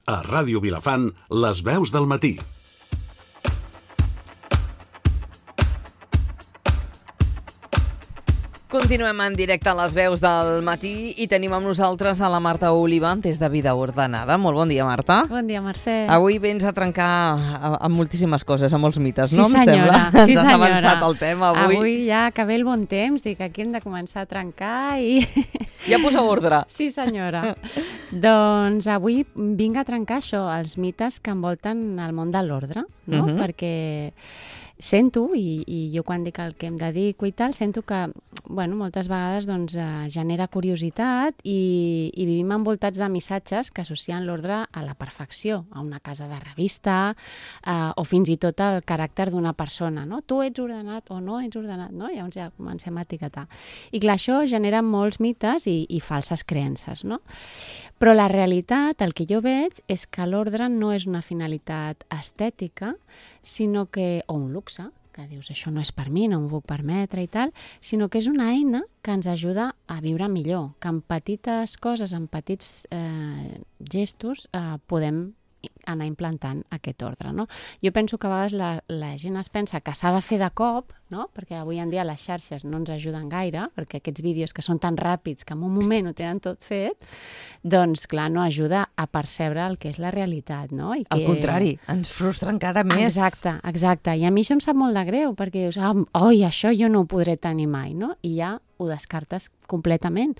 A Ràdio Vilafant, les veus del matí. Continuem en directe a les veus del matí i tenim amb nosaltres a la Marta Oliva des de Vida Ordenada. Molt bon dia, Marta. Bon dia, Mercè. Avui vens a trencar amb moltíssimes coses, amb molts mites, sí, no? Senyora. Em sembla. Ens has avançat el tema avui. Avui ja que ve el bon temps, dic aquí hem de començar a trencar i... Ja posa ordre. Sí, senyora. Doncs avui vinc a trencar això, els mites que envolten el món de l'ordre, no? Perquè sento, i jo quan dic el que em dedico i tal, sento que moltes vegades genera curiositat i vivim envoltats de missatges que associen l'ordre a la perfecció, a una casa de revista o fins i tot al caràcter d'una persona, no? Tu ets ordenat o no ets ordenat, no? Llavors ja comencem a etiquetar. I clar, això genera molts mites i falses creences, no? Però la realitat, el que jo veig, és que l'ordre no és una finalitat estètica, sinó que, o un luxe, que dius això no és per mi, no m'ho puc permetre i tal, sinó que és una eina que ens ajuda a viure millor, que amb petites coses, amb petits gestos podem anar implantant aquest ordre, no? Jo penso que a vegades la gent es pensa que s'ha de fer de cop, no? Perquè avui en dia les xarxes no ens ajuden gaire, perquè aquests vídeos que són tan ràpids que en un moment ho tenen tot fet, doncs clar, no ajuda a percebre el que és la realitat, no? I que... Al contrari, ens frustra encara més. Exacte. I a mi això em sap molt de greu, perquè dius, oi, això jo no ho podré tenir mai, no? I ja ho descartes completament.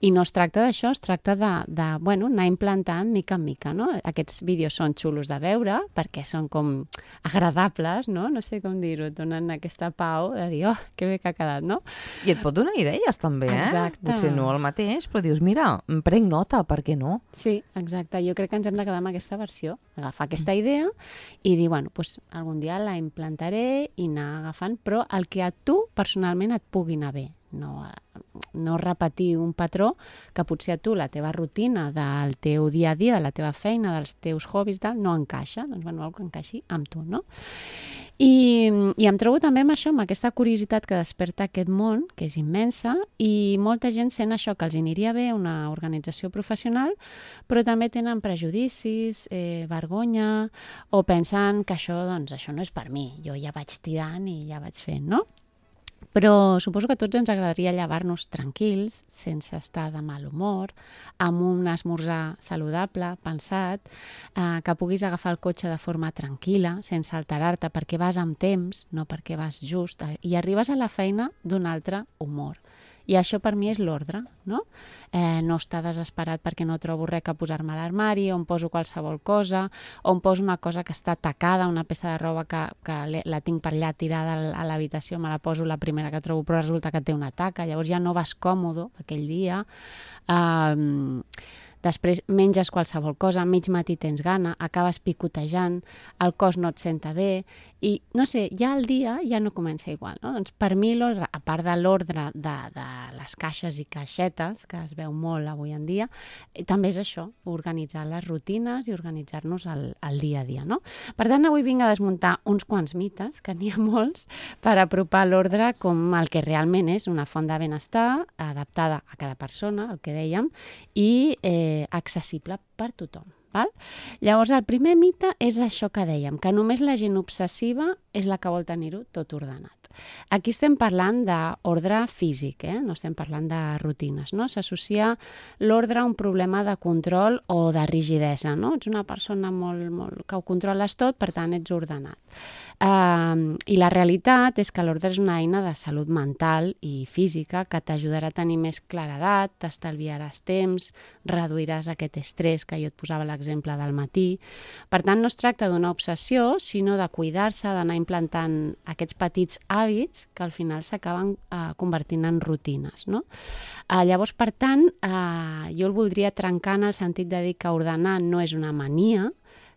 I no es tracta d'això, es tracta anar implantant mica en mica, no? Aquests vídeos són xulos de veure, perquè són com agradables, no? No sé com dir-ho, et donen aquesta pau de dir, que bé que ha quedat, no? I et pot donar idees també, Exacte. Potser no el mateix, però dius, mira, em prenc nota, per què no? Sí, exacte. Jo crec que ens hem de quedar amb aquesta versió, agafar aquesta idea i dir, algun dia la implantaré i anar agafant, però el que a tu personalment et pugui anar bé. No repetir un patró que potser a tu la teva rutina del teu dia a dia, de la teva feina, dels teus hobbies, no encaixa, doncs algo que encaixi amb tu, no? I em trobo també amb això, amb aquesta curiositat que desperta aquest món, que és immensa, i molta gent sent això, que els aniria bé una organització professional, però també tenen prejudicis, vergonya, o pensen que això no és per mi, jo ja vaig tirant i ja vaig fent, no? Però suposo que a tots ens agradaria llevar-nos tranquils, sense estar de mal humor, amb un esmorzar saludable, pensat, que puguis agafar el cotxe de forma tranquil·la, sense alterar-te, perquè vas amb temps, no perquè vas just, i arribes a la feina d'un altre humor. I això per mi és l'ordre, no? No estar desesperat perquè no trobo res que posar-me a l'armari, o em poso qualsevol cosa, o em poso una cosa que està tacada, una peça de roba que la tinc per allà tirada a l'habitació, me la poso la primera que trobo, però resulta que té una taca, llavors ja no vas còmode aquell dia. Després menges qualsevol cosa, a mig matí tens gana, acabes picotejant, el cos no et senta bé, i no sé, ja el dia ja no comença igual, no? Doncs per mi l'ordre, a part de l'ordre de les caixes i caixetes, que es veu molt avui en dia, també és això, organitzar les rutines i organitzar-nos el dia a dia, no? Per tant, avui vinc a desmuntar uns quants mites, que n'hi ha molts, per apropar l'ordre com el que realment és una font de benestar, adaptada a cada persona, el que dèiem, i accessible per tothom. Val? Llavors, el primer mite és això que dèiem, que només la gent obsessiva és la que vol tenir-ho tot ordenat. Aquí estem parlant d'ordre físic, no estem parlant de rutines, no? S'associa l'ordre a un problema de control o de rigidesa, no? Ets una persona molt que ho controles tot, per tant ets ordenat. I la realitat és que l'ordre és una eina de salut mental i física que t'ajudarà a tenir més claredat, t'estalviaràs temps, reduiràs aquest estrès que jo et posava l'exemple del matí. Per tant, no es tracta d'una obsessió, sinó de cuidar-se, d'anar implantant aquests petits hàbits que al final s'acaben convertint en rutines, no? Llavors, per tant, jo el voldria trencar en el sentit de dir que ordenar no és una mania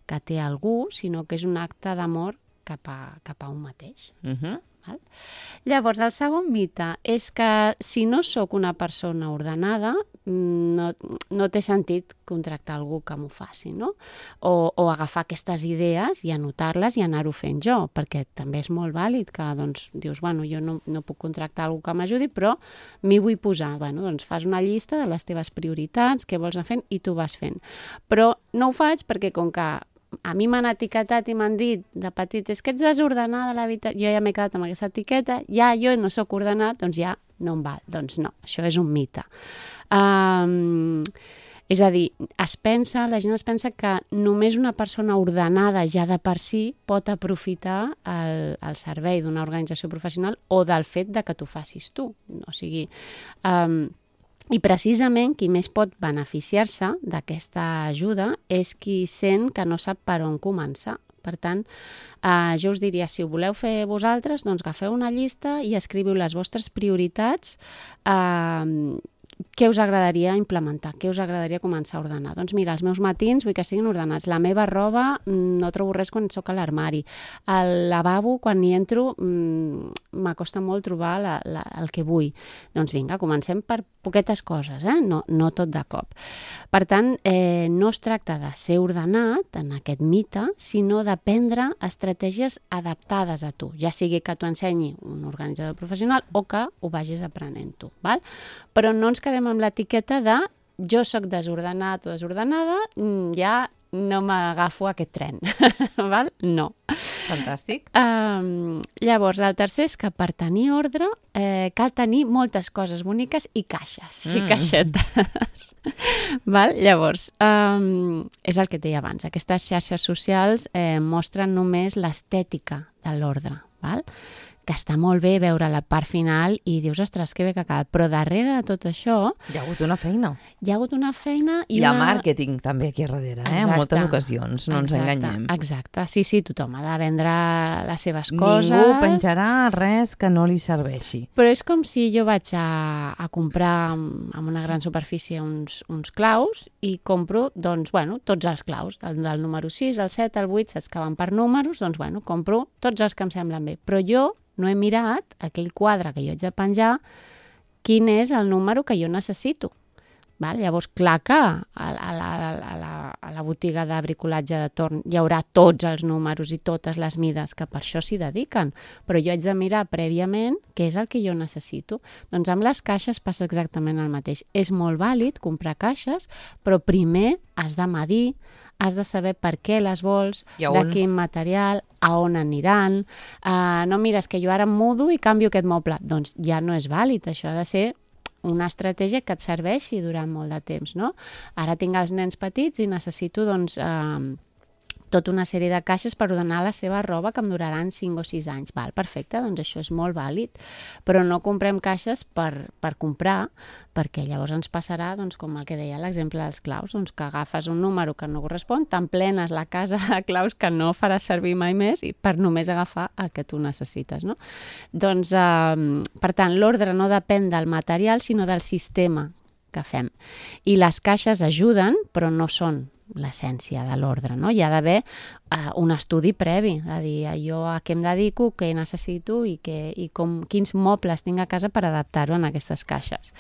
que té algú, sinó que és un acte d'amor cap a un mateix. Val? Llavors, el segon mite és que si no sóc una persona ordenada, no té sentit contractar algú que m'ho faci, no? O agafar aquestes idees i anotar-les i anar-ho fent jo, perquè també és molt vàlid que dius, jo no puc contractar algú que m'ajudi, però m'hi vull posar. Doncs fas una llista de les teves prioritats, què vols anar fent, i tu vas fent. Però no ho faig perquè com que a mi m'han etiquetat i m'han dit de petit, és que ets desordenada a l'habitació, jo ja m'he quedat amb aquesta etiqueta, ja jo no sóc ordenat, doncs ja no em val. Doncs no, això és un mite. És a dir, la gent es pensa que només una persona ordenada ja de per si pot aprofitar el servei d'una organització professional o del fet de que t'ho facis tu. O sigui, i precisament qui més pot beneficiar-se d'aquesta ajuda és qui sent que no sap per on començar. Per tant, jo us diria, si ho voleu fer vosaltres, doncs agafeu una llista i escriviu les vostres prioritats, què us agradaria implementar, què us agradaria començar a ordenar. Doncs mira, els meus matins vull que siguin ordenats. La meva roba no trobo res quan soc a l'armari. Al lavabo, quan hi entro, m'acosta molt trobar el que vull. Doncs vinga, comencem per poquetes coses, no tot de cop. Per tant, no es tracta de ser ordenat en aquest mite, sinó d'aprendre estratègies adaptades a tu, ja sigui que t'ho ensenyi un organitzador professional o que ho vagis aprenent tu. Val? Però no ens quedem amb l'etiqueta de jo sóc desordenat o desordenada, ja no m'agafo aquest tren. Val? No. Fantàstic. Llavors, el tercer és que per tenir ordre cal tenir moltes coses boniques i caixes, i caixetes. Val? Llavors, és el que et deia abans, aquestes xarxes socials mostren només l'estètica de l'ordre, val? Que està molt bé veure la part final i dius, ostres, que bé que ha quedat. Però darrere de tot això... Hi ha hagut una feina. Hi ha hagut una feina i hi ha màrqueting també aquí a darrere, en moltes ocasions, no ens enganyem. Exacte, sí, tothom ha de vendre les seves coses. Ningú penjarà res que no li serveixi. Però és com si jo vaig a comprar en una gran superfície uns claus i compro, tots els claus, del número 6, el 7, el 8, saps que van per números, compro tots els que em semblen bé. Però jo no he mirat aquell quadre que jo haig de penjar quin és el número que jo necessito. Val? Llavors, clar que a la botiga de bricolatge de torn hi haurà tots els números i totes les mides que per això s'hi dediquen, però jo haig de mirar prèviament què és el que jo necessito. Doncs amb les caixes passa exactament el mateix. És molt vàlid comprar caixes, però primer has de medir, has de saber per què les vols, de quin material, a on aniran. No mires que jo ara em mudo i canvio aquest moble. Doncs ja no és vàlid, això ha de ser una estratègia que et serveixi durant molt de temps, no? Ara tinc els nens petits i necessito, tota una sèrie de caixes per ordenar la seva roba que em duraran 5 o 6 anys. Val, perfecte, doncs això és molt vàlid. Però no comprem caixes per comprar, perquè llavors ens passarà, com el que deia l'exemple dels claus, que agafes un número que no correspon, t'emplenes la casa de claus que no faràs servir mai més i per només agafar el que tu necessites, no? Doncs, per tant, l'ordre no depèn del material, sinó del sistema que fem. I les caixes ajuden, però no són l'essència de l'ordre, no? Hi ha d'haver un estudi previ, de dir jo a què em dedico, què necessito i quins mobles tinc a casa per adaptar-ho en aquestes caixes.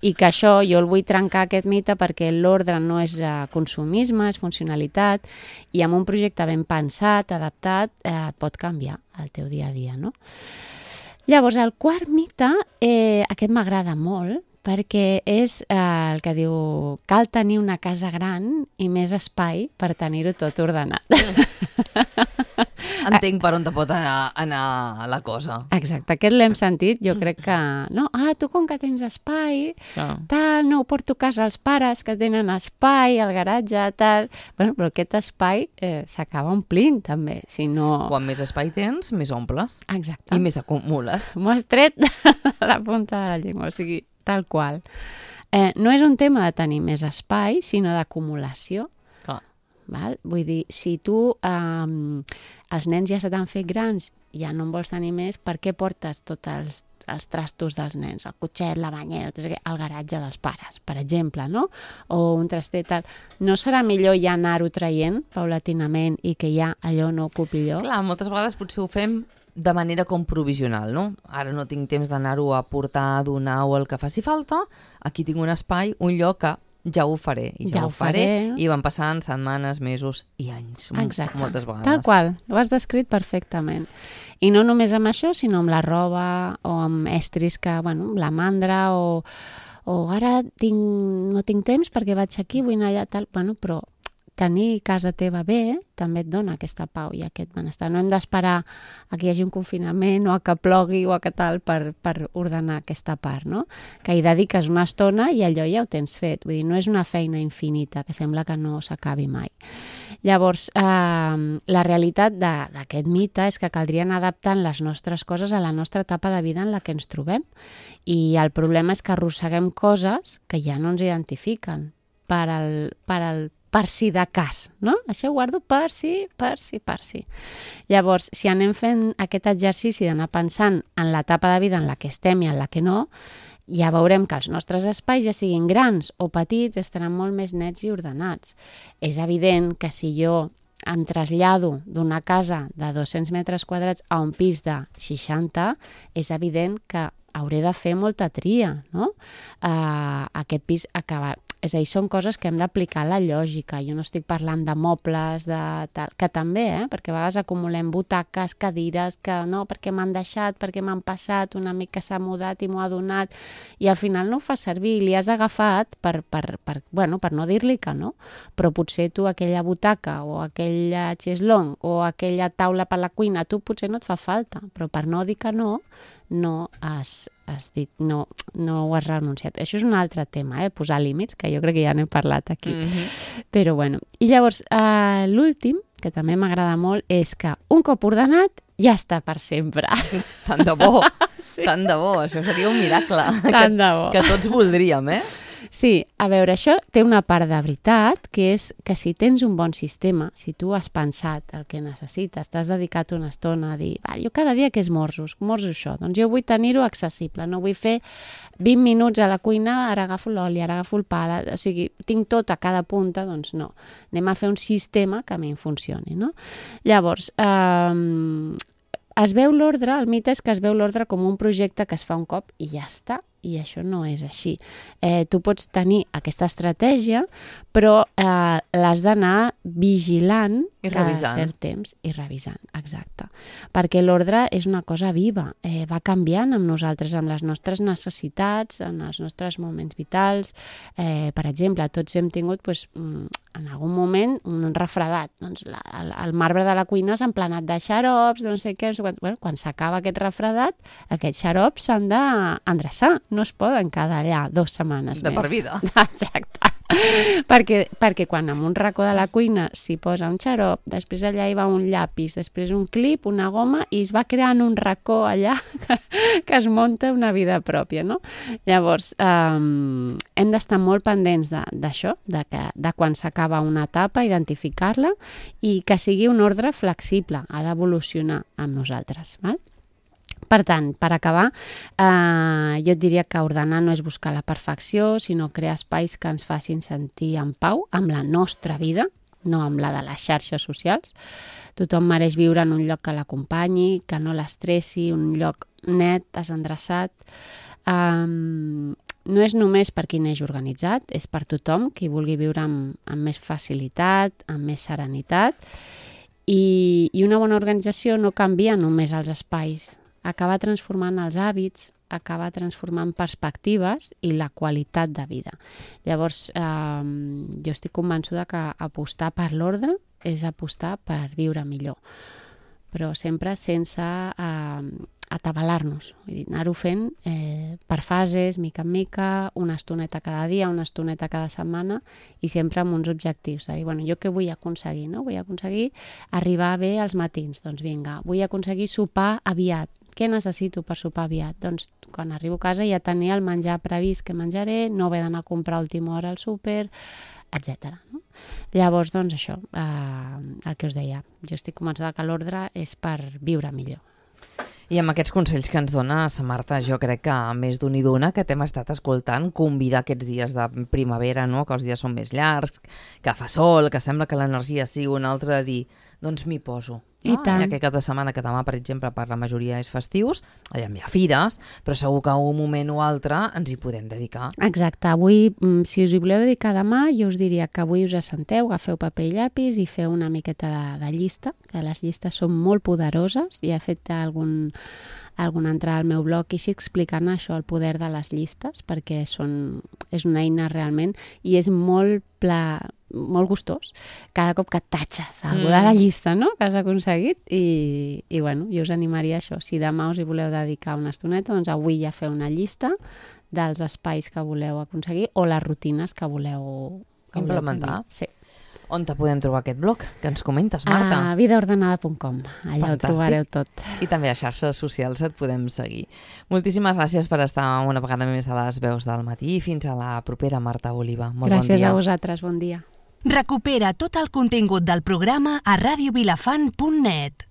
I que això jo el vull trencar aquest mite perquè l'ordre no és consumisme, és funcionalitat i amb un projecte ben pensat, adaptat, pot canviar el teu dia a dia, no? Llavors, el quart mite, aquest m'agrada molt, perquè és el que diu cal tenir una casa gran i més espai per tenir-ho tot ordenat. Entenc per on te pot anar la cosa. Exacte, aquest l'hem sentit, jo crec que... No, tu com que tens espai, tal, no ho porto a casa als pares que tenen espai, al garatge, tal... Bueno, però aquest espai s'acaba omplint, també, si no... Quan més espai tens, més omples. Exacte. I més acumules. M'ho has tret a la punta de la llengua, o sigui, tal qual. No és un tema de tenir més espai, sinó d'acumulació. Val? Vull dir, si tu els nens ja se t'han fet grans, ja no en vols tenir més, per què portes tots els trastos dels nens, el cotxet, la banyera, al garatge dels pares, per exemple, no? O un trastet tal. No serà millor ja anar-ho traient paulatinament i que ja allò no ocupi lloc? Clar, moltes vegades potser ho fem de manera com provisional, no? Ara no tinc temps d'anar-ho a portar, a donar o el que faci falta, aquí tinc un espai, un lloc que ja ho faré, i ja ho faré, i van passant setmanes, mesos i anys, moltes vegades. Tal qual, ho has descrit perfectament. I no només amb això, sinó amb la roba o amb estris que, bueno, la mandra o ara no tinc temps perquè vaig aquí, vull anar allà, tal, bueno, però tenir casa teva bé també et dona aquesta pau i aquest benestar. No hem d'esperar a que hi hagi un confinament o a que plogui o a que tal per ordenar aquesta part, no? Que hi dediques una estona i allò ja ho tens fet. Vull dir, no és una feina infinita, que sembla que no s'acabi mai. Llavors, la realitat d'aquest mite és que caldria anar adaptant les nostres coses a la nostra etapa de vida en la que ens trobem. I el problema és que arrosseguem coses que ja no ens identifiquen per si de cas, no? Això ho guardo per si. Llavors, si anem fent aquest exercici d'anar pensant en l'etapa de vida en la que estem i en la que no, ja veurem que els nostres espais, ja siguin grans o petits, estaran molt més nets i ordenats. És evident que si jo em trasllado d'una casa de 200 metres quadrats a un pis de 60, és evident que hauré de fer molta tria, no? Aquest pis acabar... És a dir, són coses que hem d'aplicar la lògica. Jo no estic parlant de mobles, que també, perquè a vegades acumulem butaques, cadires, que no, perquè m'han deixat, perquè m'han passat, un amic que s'ha mudat i m'ho ha donat, i al final no ho fa servir, li has agafat per no dir-li que no, però potser tu aquella butaca o aquell xeslong o aquella taula per la cuina, tu potser no et fa falta, però per no dir que no has dit, no ho has renunciat. Això és un altre tema, posar límits, que jo crec que ja n'he parlat aquí. Però bueno, i llavors l'últim, que també m'agrada molt, és que un cop ordenat ja està per sempre. Tant de bo, tant de bo, això seria un miracle que tots voldríem, Sí, a veure, això té una part de veritat, que és que si tens un bon sistema, si tu has pensat el que necessites, t'has dedicat una estona a dir, jo cada dia que esmorzo això, doncs jo vull tenir-ho accessible, no vull fer 20 minuts a la cuina, ara agafo l'oli, ara agafo el pa, o sigui, tinc tot a cada punta, doncs no. Anem a fer un sistema que a mi em funcioni, no? Llavors, es veu l'ordre, el mite és que es veu l'ordre com un projecte que es fa un cop i ja està, i això no és així. Tu pots tenir aquesta estratègia, però l'has d'anar vigilant cada cert temps i revisant, exacte. Perquè l'ordre és una cosa viva, va canviant amb nosaltres, amb les nostres necessitats, en els nostres moments vitals. Per exemple, tots hem tingut en algun moment un refredat. Doncs el marbre de la cuina s'ha emplenat de xarops, no sé què, quan s'acaba aquest refredat, aquests xarops s'han d'endreçar, no es poden quedar allà 2 setmanes més. De per vida. Exacte. Perquè quan en un racó de la cuina s'hi posa un xarop, després allà hi va un llapis, després un clip, una goma, i es va creant un racó allà que es munta una vida pròpia, no? Llavors, hem d'estar molt pendents d'això, de quan s'acaba una etapa, identificar-la, i que sigui un ordre flexible, ha d'evolucionar amb nosaltres, val? Per tant, per acabar, jo et diria que ordenar no és buscar la perfecció, sinó crear espais que ens facin sentir en pau amb la nostra vida, no amb la de les xarxes socials. Tothom mereix viure en un lloc que l'acompanyi, que no l'estressi, un lloc net, desendreçat. No és només per qui neix organitzat, és per tothom qui vulgui viure amb més facilitat, amb més serenitat. I una bona organització no canvia només els espais, acaba transformant els hàbits, acaba transformant perspectives i la qualitat de vida. Llavors, jo estic convençuda que apostar per l'ordre és apostar per viure millor, però sempre sense atabalar-nos, vull dir, anar-ho fent per fases, mica en mica, una estoneta cada dia, una estoneta cada setmana, i sempre amb uns objectius, de dir, bueno, jo què vull aconseguir, no? Vull aconseguir arribar bé als matins, doncs vinga, vull aconseguir sopar aviat. Què necessito per sopar aviat? Doncs quan arribo a casa ja tenir el menjar previst que menjaré, no haver d'anar a comprar a última hora al súper, etc. No? Llavors, doncs això, el que us deia, jo estic convençuda que l'ordre és per viure millor. I amb aquests consells que ens dona sa Marta, jo crec que més d'un i d'una que t'hem estat escoltant, convidar aquests dies de primavera, no? Que els dies són més llargs, que fa sol, que sembla que l'energia sigui una altra, de dir, doncs m'hi poso. I tant. Aquest cap de setmana, que demà, per exemple, per la majoria és festius, hi ha fires, però segur que un moment o altre ens hi podem dedicar. Exacte. Avui, si us hi voleu dedicar demà, jo us diria que avui us assenteu, agafeu paper i llapis i feu una miqueta de llista, que les llistes són molt poderoses. I he fet alguna entrada al meu blog i així explicant això, el poder de les llistes, perquè és una eina realment i és molt gustós cada cop que tatxes algú de la llista, no?, que has aconseguit i bueno, jo us animaria a això. Si demà us hi voleu dedicar una estoneta, doncs avui ja feu una llista dels espais que voleu aconseguir o les rutines que voleu implementar. Sí. On te podem trobar aquest blog que ens comentes, Marta? A vidaordenada.com, allà ho trobareu tot. I també a xarxes socials et podem seguir. Moltíssimes gràcies per estar una vegada més a les veus del matí i fins a la propera, Marta Oliva. Molt bon dia. Gràcies a vosaltres, bon dia. Recupera tot el contingut del programa a radiovilafant.net.